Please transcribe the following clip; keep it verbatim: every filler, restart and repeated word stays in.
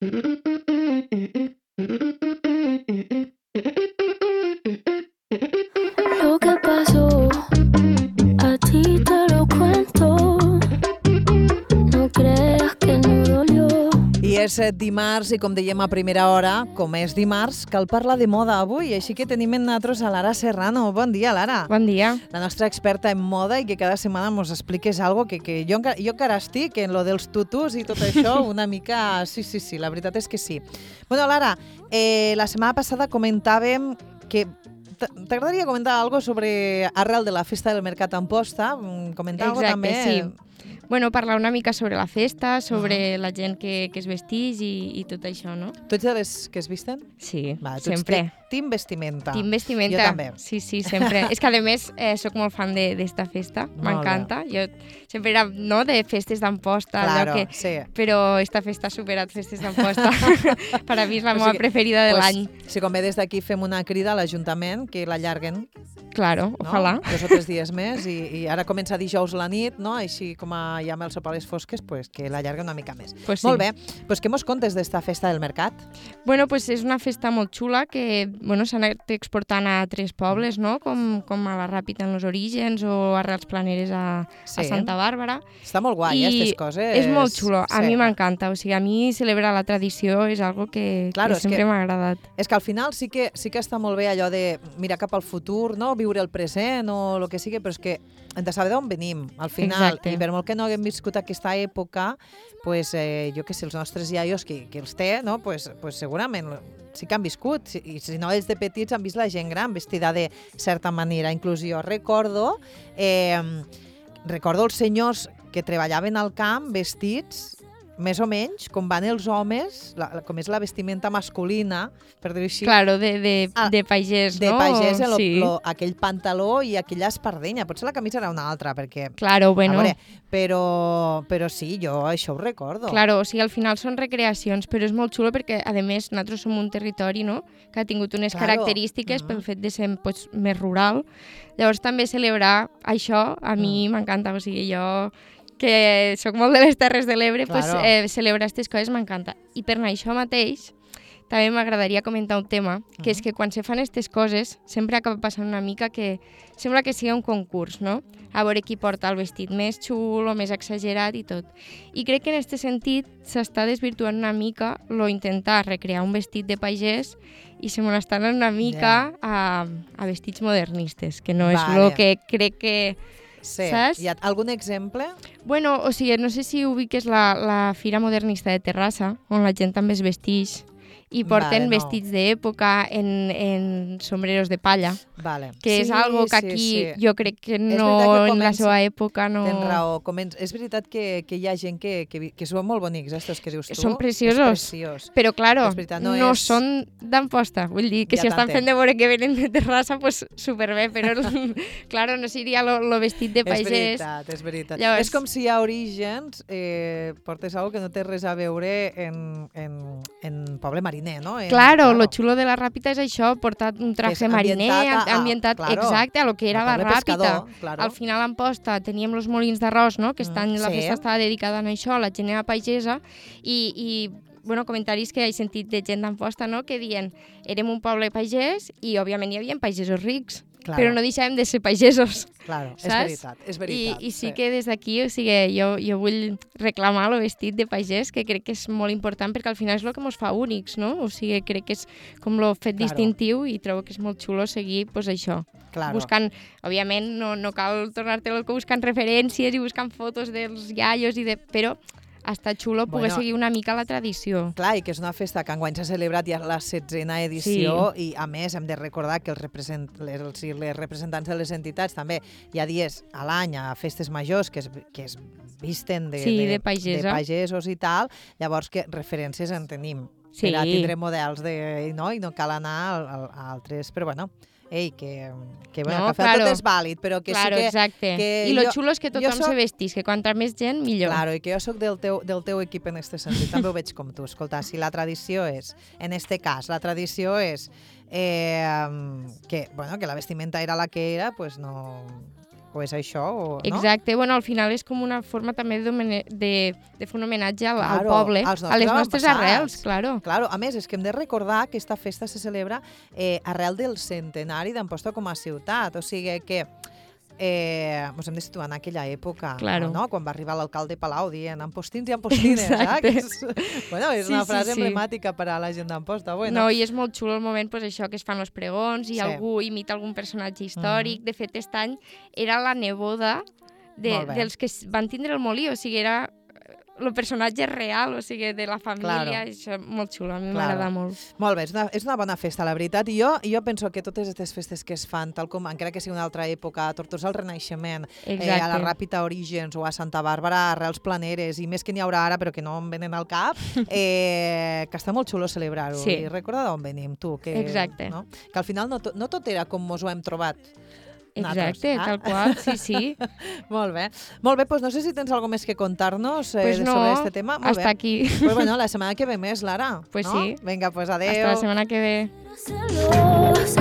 Lo que pasó, a ti te lo cuento. No creas que no dolió. I és dimarts i, com dèiem a primera hora, com és dimarts, cal parlar de moda avui. Així que tenim en nosaltres a Lara Serrano. Bon dia, Lara. Bon dia. La nostra experta en moda i que cada setmana ens expliques algo que, que jo, encara- jo encara estic en lo dels tutus i tot això una mica... Sí, sí, sí, la veritat és que sí. Bueno, Lara, eh, la setmana passada comentàvem que t- t'agradaria comentar algo sobre arrel de la festa del Mercat Amposta. Mm, Comentar algo Exacte, també... sí. Bueno, parlar una mica sobre la festa, sobre uh-huh. la gent que, que es vesteix i, i tot això, no? Tu ets de les que es visten? Sí, Va, tu ets sempre. de Team vestimenta. Team vestimenta. Jo també. Sí, sí, sempre. És que, a més, eh, soc molt fan de- d'esta festa. M'encanta. Jo sempre era, no?, de festes d'Amposta. Claro, que... sí. Però esta festa ha superat festes d'Amposta. Per a mi és la O meva sigui, preferida de pues, l'any. Si convé des d'aquí fem una crida a l'Ajuntament que l'allarguen, Claro, no? ojalà. Dos o tres dies més i, i ara comença dijous la nit, no? Així com a, ja amb el sopar a les fosques, pues, que l'allarguen una mica més. Pues sí. Molt bé. Pues què mos contes d'esta festa del mercat? Bueno, pues és una festa molt xula que bueno, s'ha anat exportant a tres pobles, no? Com, com a la Ràpita en els orígens o a Arrels Planeres a, Sí. a Santa Bàrbara. Està molt guai, eh, aquestes coses. És molt xulo. A Sí. mi m'encanta. O sigui, a mi celebrar la tradició és algo que, Claro, que és que- sempre m'ha agradat. És que al final sí que, sí que està molt bé allò de mirar cap al futur, no? Viure el present o el que sigui, però és que hem de saber d'on venim, al final. Exacte. I per molt que no haguem viscut aquesta època, pues, eh, jo que sé, els nostres iaios, que, que els té, no? pues, pues segurament sí que han viscut. Si- I si no, ells de petits han vist la gent gran vestida de certa manera. Inclús jo recordo, eh, recordo els senyors que treballaven al camp vestits més o menys com van els homes, la, la- com és la vestimenta masculina, per dir-ho així, Claro, de, de, Ah, de pagès, de no? pagès, lo, sí. lo, aquell pantaló i aquella espardenya. Potser la camisa era una altra, perquè... Claro, bueno. A veure, però, però sí, jo això ho recordo. Claro, o sigui, al final són recreacions, però és molt xulo perquè, a més, nosaltres som un territori, no?, que ha tingut unes Claro. característiques Mhm. pel fet de ser pues, més rural. Llavors, també celebrar això, a mi Mm. m'encanta. O sigui, jo, que sóc molt de les Terres de l'Ebre, pues, Claro. eh, celebrar aquestes coses m'encanta. I per anar això mateix, també m'agradaria comentar un tema, que és que quan se fan aquestes coses, sempre acaba passant una mica que sembla que sigui un concurs, no? A veure qui porta el vestit més xulo, més exagerat i tot. I crec que en aquest sentit s'està desvirtuant una mica lo intentar recrear un vestit de pagès i se me l'estan anant una mica a, a vestits modernistes, que no és Vale. el que crec que... Sí. Saps? Hi ha algun exemple? Bueno, o sigui, no sé si ubiques la, la Fira Modernista de Terrassa, on la gent també es vestix i porten Vale, no. vestits d'època en, en sombreros de palla, Vale. que és Sí, algo que sí, aquí sí. jo crec que veritat no, que en la comença- seva època no... Tens raó. Comença... És veritat que, que hi ha gent que, que, vi- que són molt bonics, estos que dius tu. Són preciosos. És preciós. Però, claro, És veritat, no no, és- són d'Amposta. Vull dir que Ja si estan t'entenc. fent de veure que venen de Terrassa, pues superbé, però, claro, no seria lo, lo vestit de És pagès. veritat, és veritat. Llavors- És com si a Orígens eh, portes algo que no té res a veure en, en, en poble mariner, no? En, Claro, lo xulo de la Ràpita és això, portar un És traje mariner, ambientat a- a- ambientat claro, exacte a lo que era a la poble Ràpita. pescador, claro. Al final a Amposta teníem els molins d'arròs, no? que Mm, estan, la sí. festa estava dedicada a això, la gent era pagesa, i, i bueno, comentaris que he sentit de gent d'Amposta, no? que diuen érem un poble pagès i òbviament hi havia pagesos rics, Claro. però no deixàvem de ser pagesos. Claro, és Saps? veritat, és I, veritat. I sí que des d'aquí, o sigui, jo, jo vull reclamar el vestit de pagès, que crec que és molt important perquè al final és el que ens fa únics, no? O sigui, crec que és com el fet Claro. distintiu i trobo que és molt xulo seguir pues, això. Claro. Buscant, òbviament, no, no cal tornar-te loco buscant referències i buscant fotos dels iaios, i de, però està xulo poder Bueno, seguir una mica la tradició. Clar, i que és una festa que enguany s'ha celebrat ja la setzena edició i, a més, hem de recordar que els, represent, les, els, les representants de les entitats també hi ha dies a l'any a festes majors que es, que es visten de, Sí, de, de pagesa. de pagesos i tal, llavors que referències en tenim. Sí. Per a tindre models de, no? I no cal anar a, a altres, però bueno, ei, que, que, bueno, No, que al final claro. tot és vàlid, però que Claro, sí que... exacte. que I lo jo- xulo és que jo tothom soc- se vestís, que quanta més gent, millor. Claro, i que jo sóc del teu, del teu equip en aquest sentit, també ho veig com tu. Escolta, si la tradició és, en este cas, la tradició és eh, que, bueno, que la vestimenta era la que era, pues no... o és això, o, no? Exacte, bueno, al final és com una forma també de, de, de fer un homenatge al, Claro, al poble, als a les nostres nostres avantpassats. arrels, claro. Claro, a més, és que hem de recordar que aquesta festa se celebra eh, arrel del centenari d'Amposta com a ciutat, o sigui que eh, ens hem de situar en aquella època, Claro. no? Quan va arribar l'alcalde Palau dient ampostins i ampostines, Exacte. eh? Que és, bueno, és Sí, una sí, frase sí. emblemàtica per a la gent d'Amposta. Bueno, No, i és molt xulo el moment, pues, això, que es fan els pregons i Sí. algú imita algun personatge històric. De fet, aquest any era la neboda de, Molt bé. dels que s- van tindre el molí, o sigui, era el personatge real, o sigui, de la família, Claro. i això és molt xulo, a mi Claro. m'agrada molt. molt bé, és una, és una bona festa, la veritat. I jo, jo penso que totes aquestes festes que es fan, tal com encara que sigui una altra època, a Tortosa al Renaixement, eh, Exacte. a la Ràpita Orígens o a Santa Bàrbara, Arrels Planeres, i més que n'hi haurà ara, però que no em venen al cap, eh, que està molt xulo celebrar-ho. Sí. I recorda d'on venim, tu. Que, Exacte. No? Que al final no, to, no tot era com mos ho hem trobat. Exacte, nosaltres, ah? tal qual, sí, sí. Molt bé. Molt bé, doncs no sé si tens alguna més que contar-nos eh, Pues no, sobre este tema. Molt hasta bé. aquí. Pues bueno, la setmana que ve més, Lara. Pues no? sí. Vinga, pues adeu. Hasta la setmana que ve. celosa.